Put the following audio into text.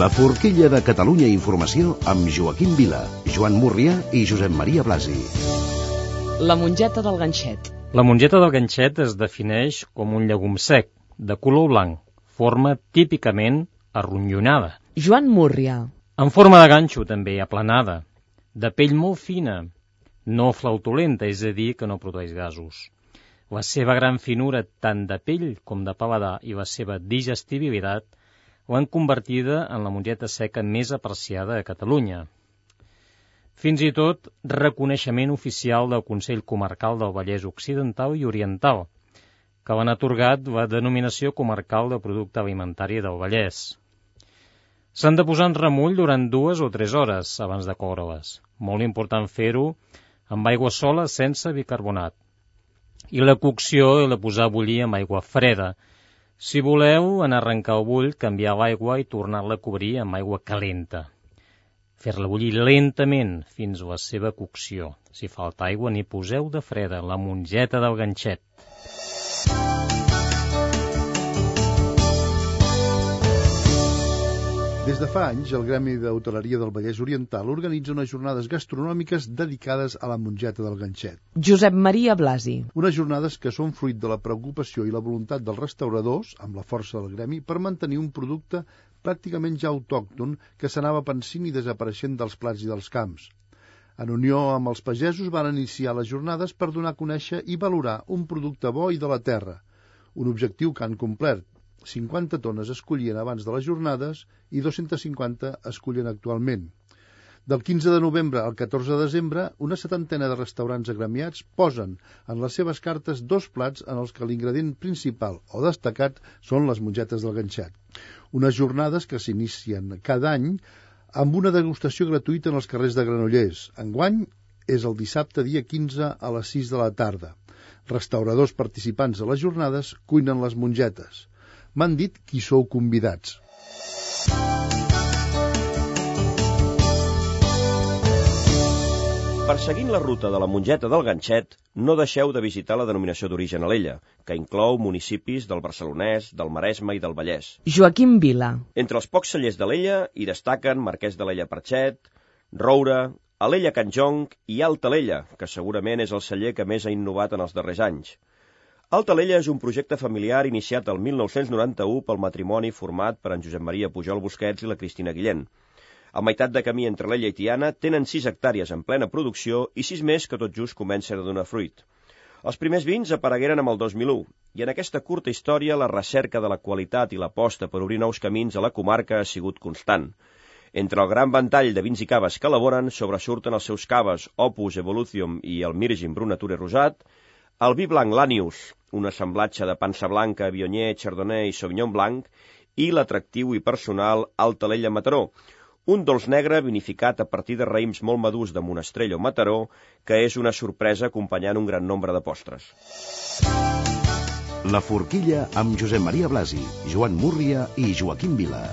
La forquilla de Catalunya Informació amb Joaquim Vila, Joan Múrria i Josep Maria Blasi. La mongeta del ganxet. La mongeta del ganxet es defineix com un llegum sec, de color blanc, forma típicament arronyonada. Joan Múrria. En forma de ganxo, també, aplanada, de pell molt fina, no flautolenta, és a dir, que no produeix gasos. La seva gran finura, tant de pell com de paladar, i la seva digestibilitat l'han convertida en la mongeta seca més apreciada a Catalunya. Fins i tot reconeixement oficial del Consell Comarcal del Vallès Occidental i Oriental, que l'han atorgat la denominació comarcal de producte alimentari del Vallès. S'han de posar en remull durant 2 o 3 hores abans de coure-les. Molt important fer-ho amb aigua sola sense bicarbonat. I la cocció l'he de posar a bullir amb aigua freda. Si voleu, en arrencar el bull, canviar l'aigua i tornar-la a cobrir amb aigua calenta. Fer-la bullir lentament fins a la seva cocció. Si falta aigua, n'hi poseu de freda, la mongeta del ganxet. Des de fa anys, el Gremi d'Hoteleria del Vallès Oriental organitza unes jornades gastronòmiques dedicades a la mongeta del ganxet. Josep Maria Blasi. Unes jornades que són fruit de la preocupació i la voluntat dels restauradors, amb la força del gremi, per mantenir un producte pràcticament ja autòcton que s'anava pansint i desapareixent dels plats i dels camps. En unió amb els pagesos van iniciar les jornades per donar a conèixer i valorar un producte bo i de la terra, un objectiu que han complert. 50 tones es collien abans de les jornades i 250 es collen actualment. Del 15 de novembre al 14 de desembre, una 70ena de restaurants agremiats posen en les seves cartes 2 plats en els que l'ingredient principal o destacat són les mongetes del ganxet. Unes jornades que s'inicien cada any amb una degustació gratuïta en els carrers de Granollers. Enguany és el dissabte dia 15 a les 6 de la tarda. Restauradors participants a les jornades cuinen les mongetes. M'han dit qui sou convidats. Perseguint la ruta de la mongeta del ganxet, no deixeu de visitar la denominació d'origen Alella, que inclou municipis del Barcelonès, del Maresme i del Vallès. Joaquim Vila. Entre els pocs cellers d'Alella hi destaquen Marquès d'Alella Perxet, Roure, Alella Can Jonc i Alta Alella, que segurament és el celler que més ha innovat en els darrers anys. Alta Alella és un projecte familiar iniciat el 1991 pel matrimoni format per en Josep Maria Pujol Busquets i la Cristina Guillén. A meitat de camí entre Alella i Tiana tenen 6 hectàrees en plena producció i 6 més que tot just comencen a donar fruit. Els primers vins aparegueren amb el 2001 i en aquesta curta història la recerca de la qualitat i l'aposta per obrir nous camins a la comarca ha sigut constant. Entre el gran ventall de vins i caves que elaboren sobresurten els seus caves Opus, Evolution i el Mirgin Brut Nature Rosat, el vi blanc Lanius, un assemblatge de pansa blanca, Viognier, Chardonnay i Sauvignon Blanc, i l'atractiu i personal Alta Alella Mataró, un dolç negre vinificat a partir de raïms molt madurs de Monastrell o Mataró, que és una sorpresa acompanyant un gran nombre de postres. La forquilla amb Josep Maria Blasi, Joan Múrria i Joaquim Vila.